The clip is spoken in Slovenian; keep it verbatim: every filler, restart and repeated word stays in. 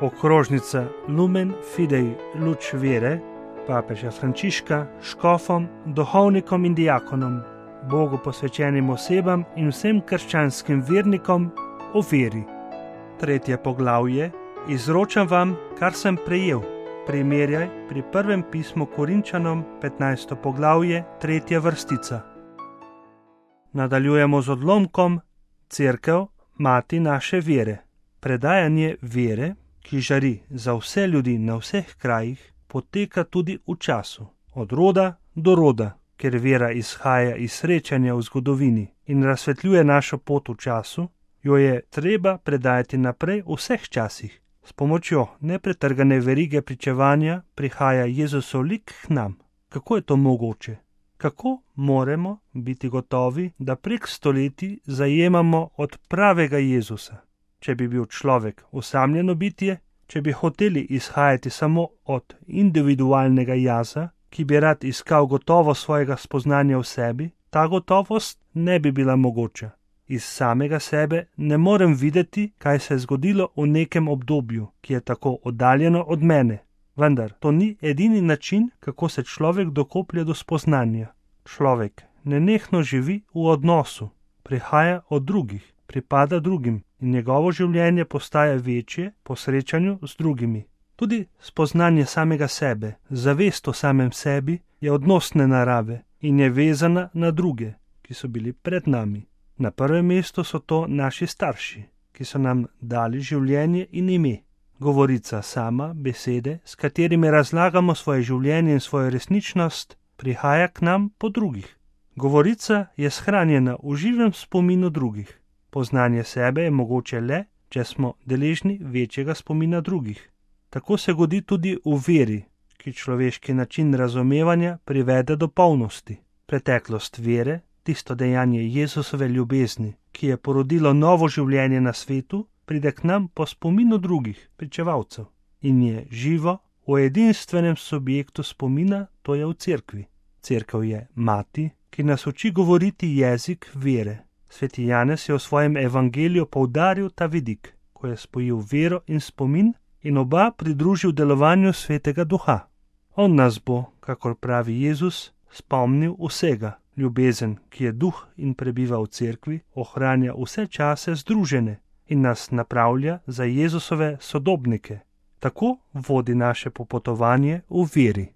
okrožnica Lumen Fidei Luč vere, papeža Frančiška, škofom, duhovnikom in diakonom, Bogu posvečenim osebam in vsem krščanskim vernikom o veri. Tretje poglavje. Izročam vam, kar sem prejel. Primerjaj pri prvem pismu Korinčanom, petnajsto poglavje, tretja vrstica. Nadaljujemo z odlomkom Cerkev, mati naše vere. Predajanje vere, ki žari za vse ljudi na vseh krajih, poteka tudi v času, od roda do roda, ker vera izhaja iz srečanja v zgodovini in razsvetljuje našo pot v času, jo je treba predajati naprej v vseh časih. S pomočjo nepretrgane verige pričevanja prihaja Jezusov lik k nam. Kako je to mogoče? Kako moramo biti gotovi, da prek stoletij zajemamo od pravega Jezusa? Če bi bil človek osamljeno bitje, če bi hoteli izhajati samo od individualnega jaza, ki bi rad iskal gotovo svojega spoznanja v sebi, ta gotovost ne bi bila mogoča. Iz samega sebe ne morem videti, kaj se je zgodilo v nekem obdobju, ki je tako oddaljeno od mene. Vendar to ni edini način, kako se človek dokoplje do spoznanja. Človek nenehno živi v odnosu, prihaja od drugih, pripada drugim in njegovo življenje postaja večje po srečanju z drugimi. Tudi spoznanje samega sebe, zavest o samem sebi je odnosne narave in je vezana na druge, ki so bili pred nami. Na prvem mestu so to naši starši, ki so nam dali življenje in ime. Govorica sama, besede, s katerimi razlagamo svoje življenje in svojo resničnost, prihaja k nam po drugih. Govorica je shranjena v živem spominu drugih. Poznanje sebe je mogoče le, če smo deležni večjega spomina drugih. Tako se godi tudi v veri, ki človeški način razumevanja privede do polnosti. Preteklost vere, tisto dejanje Jezusove ljubezni, ki je porodilo novo življenje na svetu, pride k nam po spominu drugih, pričevalcev, in je živo v edinstvenem subjektu spomina, to je v cerkvi. Cerkev je mati, ki nas uči govoriti jezik vere. Sveti Janez je v svojem evangeliju poudaril ta vidik, ko je spojil vero in spomin in oba pridružil delovanju Svetega Duha. On nas bo, kakor pravi Jezus, spomnil vsega. Ljubezen, ki je duh in prebiva v cerkvi, ohranja vse čase združene in nas napravlja za Jezusove sodobnike. Tako vodi naše popotovanje v veri.